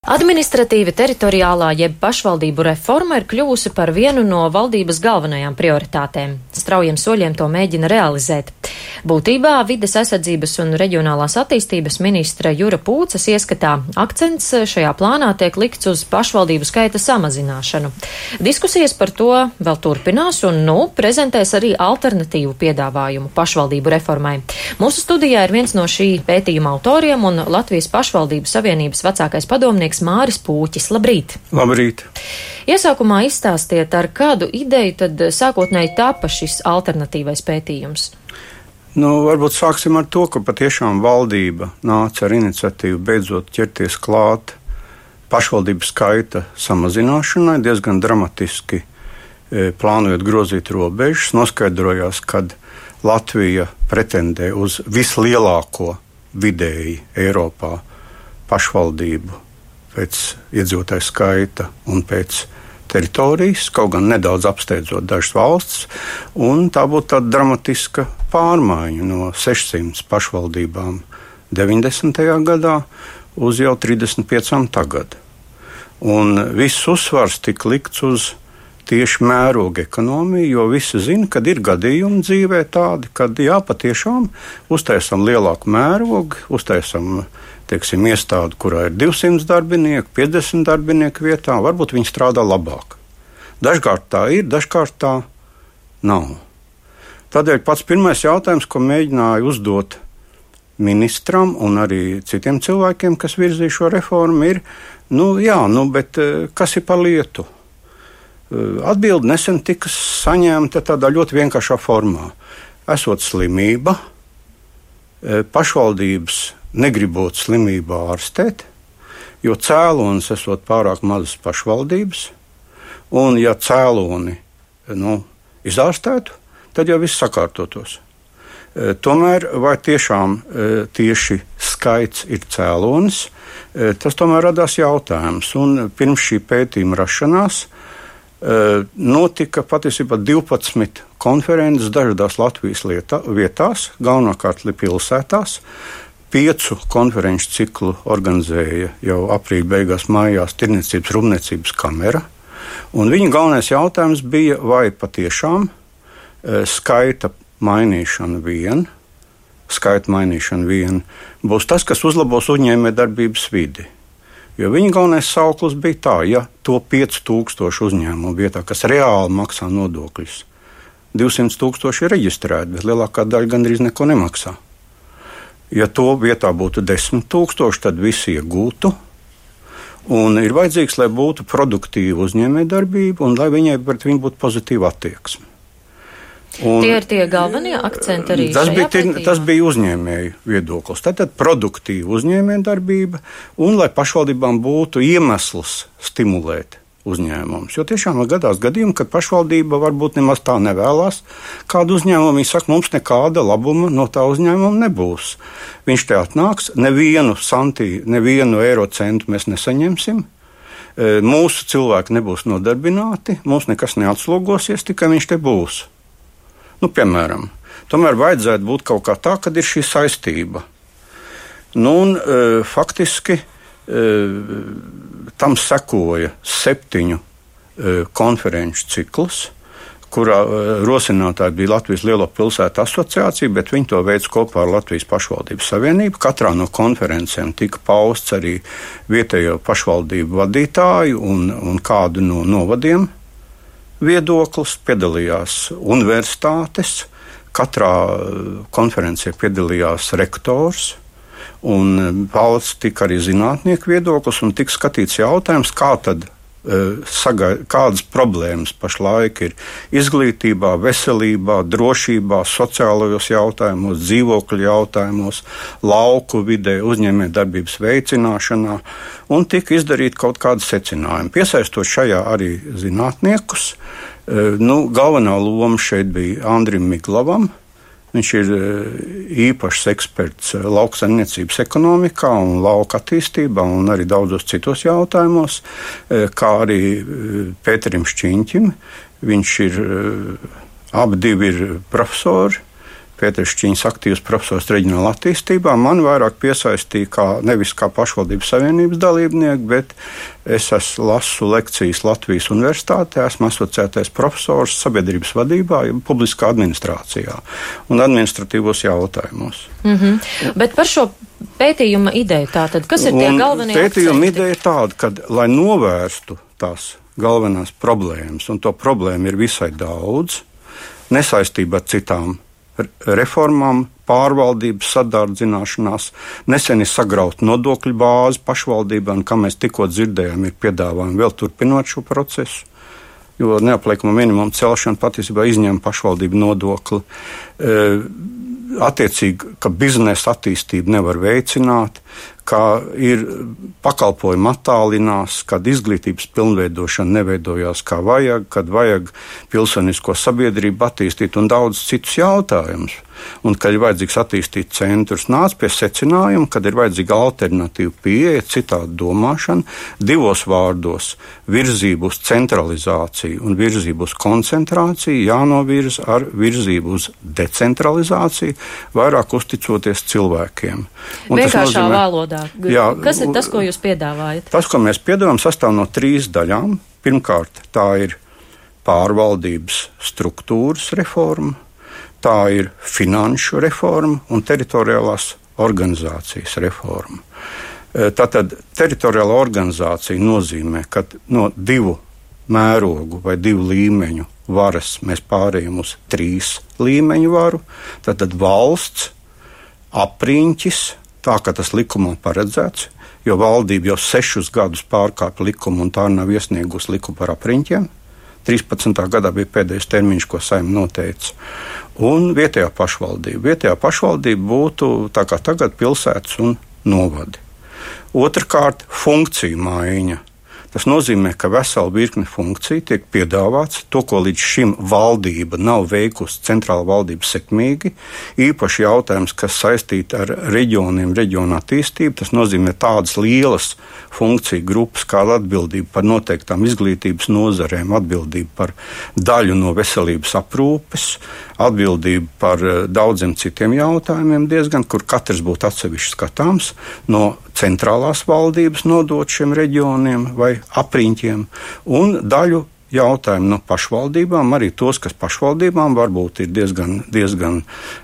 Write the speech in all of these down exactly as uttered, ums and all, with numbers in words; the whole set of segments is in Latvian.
Administratīva teritoriālā jeb pašvaldību reforma ir kļuvusi par vienu no valdības galvenajām prioritātēm. Straujiem soļiem to mēģina realizēt. Būtībā vides aizsardzības un reģionālās attīstības ministra Jura Pūces ieskatā akcents šajā plānā tiek likts uz pašvaldību skaita samazināšanu. Diskusijas par to vēl turpinās un, nu, prezentēs arī alternatīvu piedāvājumu pašvaldību reformai. Mūsu studijā ir viens no šī pētījuma autoriem un Latvijas pašvaldību savienības vecākais padomnieks Māris Pūķis. Labrīt! Labrīt! Iesākumā izstāstiet, ar kādu ideju tad sākotnēji tapa šis alternatīvais pētījums? Nu, varbūt sāksim ar to, ka patiešām valdība nāca ar iniciatīvu beidzot ķerties klāt pašvaldību skaita samazināšanai, diezgan dramatiski e, plānojot grozīt robežas. Noskaidrojās, kad Latvija pretendē uz vislielāko vidēji Eiropā pašvaldību pēc iedzīvotāju skaita un pēc teritorijas, kaut gan nedaudz apsteidzot dažas valsts, un tā būtu tāda dramatiska pārmaiņa no sešsimts pašvaldībām deviņdesmitajā gadā uz jau trīsdesmit piecām tagad. Un viss uzsvars tika likts uz tieši mēroga ekonomiju, jo visi zina, kad ir gadījumi dzīvē tādi, kad jā, patiešām uztaisam lielāku mērogu, uztaisam teiksim, iestādi, kurā ir divsimt darbinieku, piecdesmit darbinieku vietā, varbūt viņi strādā labāk. Dažkārt tā ir, dažkārt tā nav. Tādēļ pats pirmais jautājums, ko mēģināju uzdot ministram un arī citiem cilvēkiem, kas virzīja šo reformu, ir, nu jā, nu, bet kas ir par lietu? Atbilde nesen tika saņemta tādā ļoti vienkāršā formā. Esot slimība, pašvaldības negribot slimībā ārstēt, jo cēlonis esot pārāk mazas pašvaldības, un ja cēloni nu, izārstētu, tad jau viss sakārtotos. E, tomēr vai tiešām e, tieši skaits ir cēlonis, e, tas tomēr radās jautājums, un pirms šī pētījuma rašanās e, notika patiesībā divpadsmit konferences dažādās Latvijas lietā, vietās, galvenokārt pilsētās. Piecu konferenču ciklu organizēja jau aprīļa beigās mājās Tirniecības rūpniecības kamera. Un viņa galvenais jautājums bija, vai patiešām e, skaita mainīšana vien, skaita mainīšana vien būs tas, kas uzlabos uzņēmējdarbības vidi. Jo viņa galvenais sauklis bija tā, ja to pieci tūkstoši uzņēmumu vietā, kas reāli maksā nodokļus, divsimt tūkstoši ir reģistrēti, bet lielākā daļa gandrīz neko nemaksā. Ja to vietā būtu desmit tūkstoši, tad visi iegūtu. Un ir vajadzīgs, lai būtu produktīva uzņēmējdarbība un lai viņai pret viņu būtu pozitīva attieksme. Un, tie ir tie galvenie akcenti arī tas šajā bija, pētījumā? Tas bija uzņēmēju viedoklis. Tātad produktīva uzņēmējdarbība un lai pašvaldībām būtu iemesls stimulēt uzņēmumus. Jo tiešām gadās gadījumi, kad pašvaldība varbūt nemaz tā nevēlās kādu uzņēmumu. Viņi saka, mums nekāda labuma no tā uzņēmuma nebūs. Viņš te atnāks, nevienu santī, nevienu eiro centu mēs nesaņemsim. Mūsu cilvēki nebūs nodarbināti, mums nekas neatslogosies, tikai viņš te būs. Nu, piemēram, tomēr vajadzētu būt kaut kā tā, kad ir šī saistība. Nu, un e, faktiski e, tam sekoja septiņu e, konferenču cikls, kurā e, rosinātāji bija Latvijas Lielo pilsētu asociācija, bet viņi to veids kopā ar Latvijas pašvaldības savienību. Katrā no konferencēm tika pausts arī vietējo pašvaldību vadītāju un, un kādu no novadiem viedoklis, piedalījās universitātes, katrā konferencē piedalījās rektors, un pausts tika arī zinātnieku viedoklis, un tika skatīts jautājums, kā tad, sagai, kādas problēmas pašlaik ir izglītībā, veselībā, drošībā, sociālajos jautājumos, dzīvokļu jautājumos, lauku vidē, uzņēmējdarbības veicināšanā, un tika izdarīt kaut kādi secinājumi. Piesaistot šajā arī zinātniekus, nu, galvenā loma šeit bija Andrim Miglavam. Viņš ir īpašs eksperts lauksaimniecības ekonomikā un lauka attīstībā un arī daudzos citos jautājumos, kā arī Pēterim Šķiņķim. Viņš ir, abi divi ir profesori Pēteršķiņas aktīvs profesors reģionālā attīstībā. Man vairāk piesaistīja kā, nevis kā pašvaldības savienības dalībnieku, bet es esmu lasu lekcijas Latvijas universitātē, esmu asociētais profesors sabiedrības vadībā, publiskā administrācijā un administratīvos jautājumos. Mm-hmm. Bet par šo pētījuma ideju tātad, kas ir tie un galvenie akcenti? Pētījuma ideja ir tāda, ka, lai novērstu tās galvenās problēmas, un to problēmu ir visai daudz, nesaistībā ar citām reformām, pārvaldības sadārdzināšanās, nesen ir sagrauta nodokļu bāze pašvaldībām, kā mēs tikko dzirdējām, ir piedāvājumi vēl turpinot šo procesu, jo neapliekama minimuma celšana patiesībā izņem pašvaldību nodokli. E, attiecīgi, ka biznesa attīstību nevar veicināt, ka ir pakalpojumi attālinās, kad izglītības pilnveidošana neveidojās kā vajag, kad vajag pilsonisko sabiedrību attīstīt un daudz citus jautājumus. Un, kad ir vajadzīgs attīstīt centrus, nāc pie secinājuma, kad ir vajadzīga alternatīva pieeja, citāda domāšana, divos vārdos virzību uz centralizāciju un virzību uz koncentrāciju jānovirza ar virzību uz decentralizāciju, vairāk uzticoties cilvēkiem. Un vienkāršā valodā. Jā, kas ir tas, ko jūs piedāvājat? Tas, ko mēs piedāvājam, sastāv no trīs daļām. Pirmkārt, tā ir pārvaldības struktūras reforma, tā ir finanšu reforma un teritoriālās organizācijas reforma. Tātad teritoriāla organizācija nozīmē, ka no divu mērogu vai divu līmeņu varas mēs pārējām uz trīs līmeņu varu. Tātad valsts, apriņķis, tā kā tas likumā paredzēts, jo valdība jau sešus gadus pārkāpa likumu un tā nav iesniegusi likumu par apriņķiem. trīspadsmitā gadā bija pēdējais termiņš, ko Saeima noteica. Un vietējā pašvaldība. Vietējā pašvaldība būtu tā kā tagad pilsētas un novadi. Otrkārt, funkciju maiņa. Tas nozīmē, ka vesela virkne funkciju tiek piedāvāts, to, ko līdz šim valdība nav veikusi, centrāla valdība sekmīgi. Īpaši jautājums, kas saistīti ar reģioniem, reģionu attīstību, tas nozīmē tādas lielas funkciju grupas, kā atbildība par noteiktām izglītības nozarēm, atbildība par daļu no veselības aprūpes, atbildība par daudziem citiem jautājumiem diezgan, kur katrs būtu atsevišķi skatāms, no centrālās valdības nodot šiem reģioniem vai apriņķiem, un daļu jautājumu no pašvaldībām, arī tos, kas pašvaldībām varbūt ir diezgan, diezgan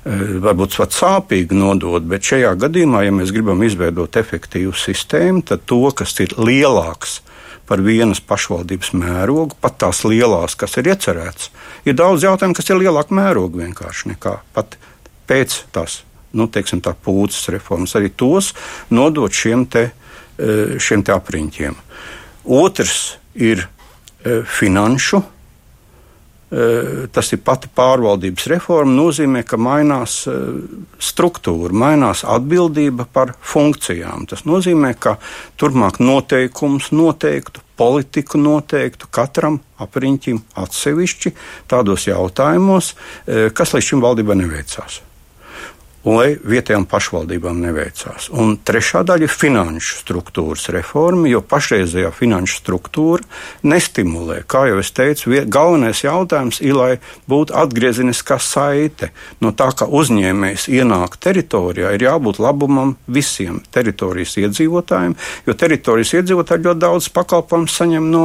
varbūt pat sāpīgi nodot, bet šajā gadījumā, ja mēs gribam izveidot efektīvu sistēmu, tad to, kas ir lielāks par vienas pašvaldības mērogu, pat tās lielās, kas ir iecerēts, ir daudz jautājumu, kas ir lielāka mēroga vienkārši nekā pat pēc tās, nu, teiksim tā, pūces reformas, arī tos nodot šiem te, šiem te apriņķiem. Otrs ir finanšu, tas ir pati pārvaldības reforma, nozīmē, ka mainās struktūra, mainās atbildība par funkcijām. Tas nozīmē, ka turpmāk noteikums noteiktu, politiku noteiktu katram apriņķim atsevišķi tādos jautājumos, kas līdz šim valdībai neveicās. Lai vietējām pašvaldībām neveicās. Un trešā daļa ir finanšu struktūras reforma, jo pašreizējā finanšu struktūra nestimulē. Kā jau es teicu, galvenais jautājums ir, lai būtu atgriezeniskā saite. No tā, ka uzņēmējs ienāk teritorijā, ir jābūt labumam visiem teritorijas iedzīvotājiem, jo teritorijas iedzīvotāji ļoti daudz pakalpojumu saņem no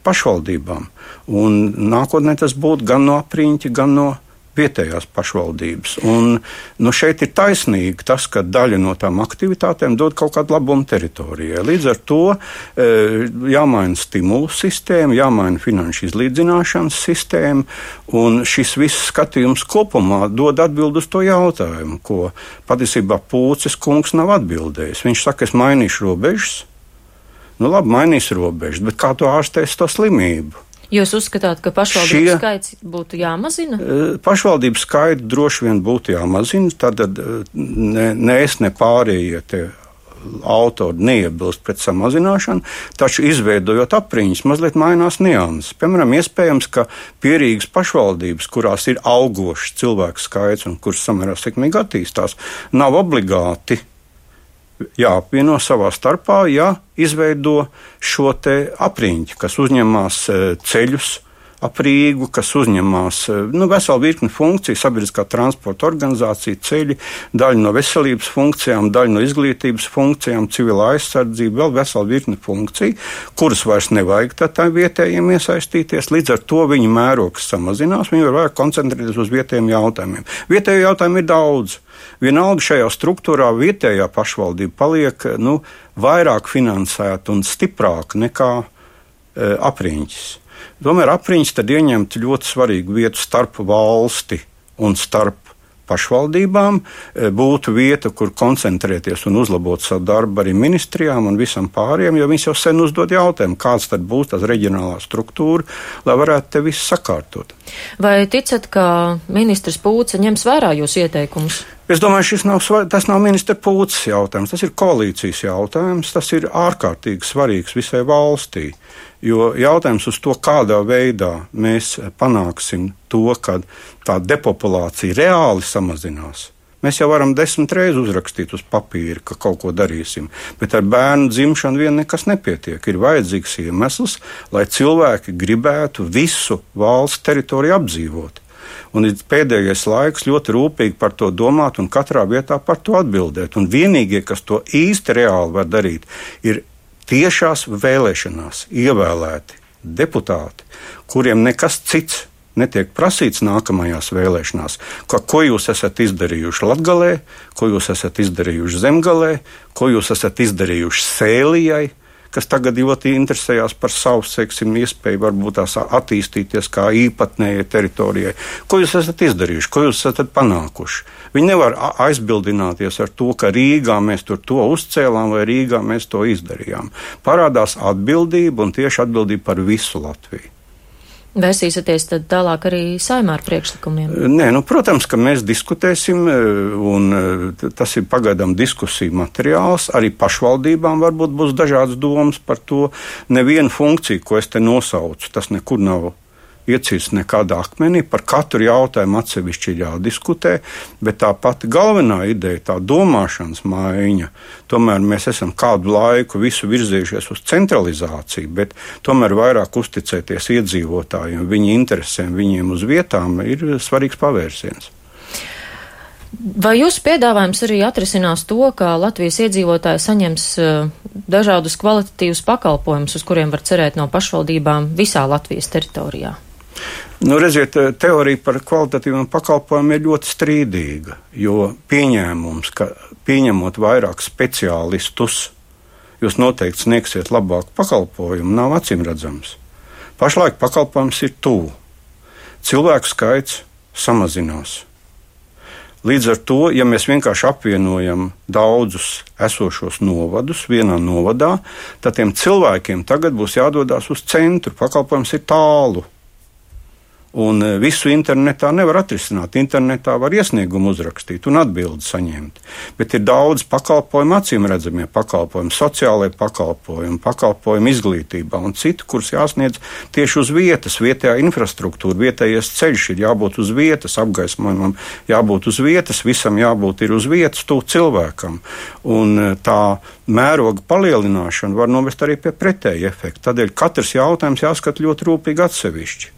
pašvaldībām. Un nākotnē tas būtu gan no apriņķa, gan no vietējās pašvaldības. Un, nu, šeit ir taisnīgi tas, ka daļa no tām aktivitātēm dod kaut kādu labumu teritorijai. Līdz ar to e, jāmaina stimulu sistēma, jāmaina finanšu izlīdzināšanas sistēma, un šis viss skatījums kopumā dod atbildi uz to jautājumu, ko patiesībā Pūces kungs nav atbildējis. Viņš saka, es mainīšu robežas. Nu labi, mainīs robežas, bet kā to ārstēs to slimību? Jūs uzskatāt, ka pašvaldību Šie, skaits būtu jāmazina? Pašvaldību skaits droši vien būtu jāmazina, tad ne, ne es, ne pārējie tie autori neiebilst pret samazināšanu, taču izveidojot apriņas, mazliet mainās nianses. Piemēram, iespējams, ka pierīgas pašvaldības, kurās ir augošs cilvēku skaits un kuras samērā sekmīgi attīstās, nav obligāti jāapvieno savā starpā, ja izveido šo te apriņķi, kas uzņemās ceļus, ap Rīgu, kas uzņemās nu, veselu virkni funkciju, sabiedriskā transporta organizācija, ceļi, daļa no veselības funkcijām, daļa no izglītības funkcijām, civilā aizsardzība, vēl veselu virkni funkciju, kuras vairs nevajag tā vietējiem iesaistīties. Līdz ar to viņa mērogs samazinās, viņi var vairāk koncentrēties uz vietējiem jautājumiem. Vietējo jautājumu ir daudz. Vienalga šajā struktūrā vietējā pašvaldība paliek nu, vairāk finansēta un stiprāka nekā e, apriņķis. Tomēr apriņķis tad ieņemt ļoti svarīgu vietu starp valsti un starp pašvaldībām, e, būtu vieta, kur koncentrēties un uzlabot savu darbu arī ministrijām un visam pāriem, jo viņas jau sen uzdod jautājumu, kāds tad būs tās reģionālā struktūra, lai varētu te visu sakārtot. Vai ticat, ka ministrs Pūce ņems vērā jūsu ieteikumus? Es domāju, šis nav, tas nav ministra Pūces jautājums, tas ir koalīcijas jautājums, tas ir ārkārtīgi svarīgs visai valstī, jo jautājums uz to, kādā veidā mēs panāksim to, ka tā depopulācija reāli samazinās. Mēs jau varam desmit reizes uzrakstīt uz papīra, ka kaut ko darīsim, bet ar bērnu dzimšanu vien nekas nepietiek. Ir vajadzīgs iemesls, lai cilvēki gribētu visu valsts teritoriju apdzīvot. Un ir pēdējais laiks ļoti rūpīgi par to domāt un katrā vietā par to atbildēt. Un vienīgie, kas to īsti reāli var darīt, ir tiešās vēlēšanās ievēlēti deputāti, kuriem nekas cits netiek prasīts nākamajās vēlēšanās. Ko, ko jūs esat izdarījuši Latgalē, ko jūs esat izdarījuši Zemgalē, ko jūs esat izdarījuši Sēlijai, kas tagad ļoti interesējās par savu, seksim, iespēju varbūt tās attīstīties kā īpatnējai teritorijai. Ko jūs esat izdarījuši, ko jūs esat panākuši? Viņi nevar aizbildināties ar to, ka Rīgā mēs tur to uzcēlām vai Rīgā mēs to izdarījām. Parādās atbildība un tieši atbildība par visu Latviju. Vēsīsieties tad tālāk arī Saeimā ar priekšlikumiem? Nē, nu, protams, ka mēs diskutēsim, un tas ir pagaidām diskusiju materiāls. Arī pašvaldībām varbūt būs dažādas domas par to. Nevienu funkciju, ko es te nosaucu, tas nekur nav iecīsts nekādā akmenī. Par katru jautājumu atsevišķi ir jādiskutē, bet tā pati galvenā ideja, tā domāšanas maiņa, tomēr mēs esam kādu laiku visu virzījušies uz centralizāciju, bet tomēr vairāk uzticēties iedzīvotājiem, viņu interesēm, viņiem uz vietām ir svarīgs pavērsiens. Vai jūsu piedāvājums arī atrisinās to, ka Latvijas iedzīvotāji saņems dažādus kvalitatīvus pakalpojumus, uz kuriem var cerēt no pašvaldībām visā Latvijas teritorijā? Nu, redziet, teorija par kvalitatīviem pakalpojumiem ir ļoti strīdīga, jo pieņēmums, ka pieņemot vairāk speciālistus, jūs noteikti sniegsiet labāku pakalpojumu, nav acīmredzams. Pašlaik pakalpojums ir tuvu. Cilvēku skaits samazinās. Līdz ar to, ja mēs vienkārši apvienojam daudzus esošos novadus vienā novadā, tad tiem cilvēkiem tagad būs jādodas uz centru. Pakalpojums ir tālu. Un visu internetā nevar atrisināt. Internetā var iesniegumu uzrakstīt un atbildi saņemt. Bet ir daudz pakalpojumu, acīm redzamie pakalpojumi, sociālai pakalpojumi, pakalpojumi izglītībā un citu, kurus jāsniedz tieši uz vietas, vietējā infrastruktūra, vietējais ceļš ir jābūt uz vietas, apgaismojumam jābūt uz vietas, visam jābūt ir uz vietas, tuvu cilvēkam. Un tā mēroga palielināšana var novest arī pie pretēja efekta. Tādēļ katrs jautājums jāskat ļoti rūpīgi atsevišķi.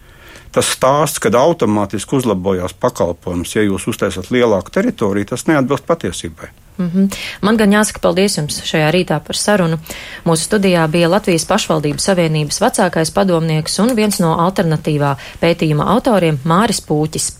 Tas stāsts, kad automātiski uzlabojās pakalpojums, ja jūs uztaisat lielāku teritoriju, tas neatbilst patiesībai. Mm-hmm. Man gan jāsaka paldies jums šajā rītā par sarunu. Mūsu studijā bija Latvijas pašvaldību savienības vecākais padomnieks un viens no alternatīvā pētījuma autoriem Māris Pūķis.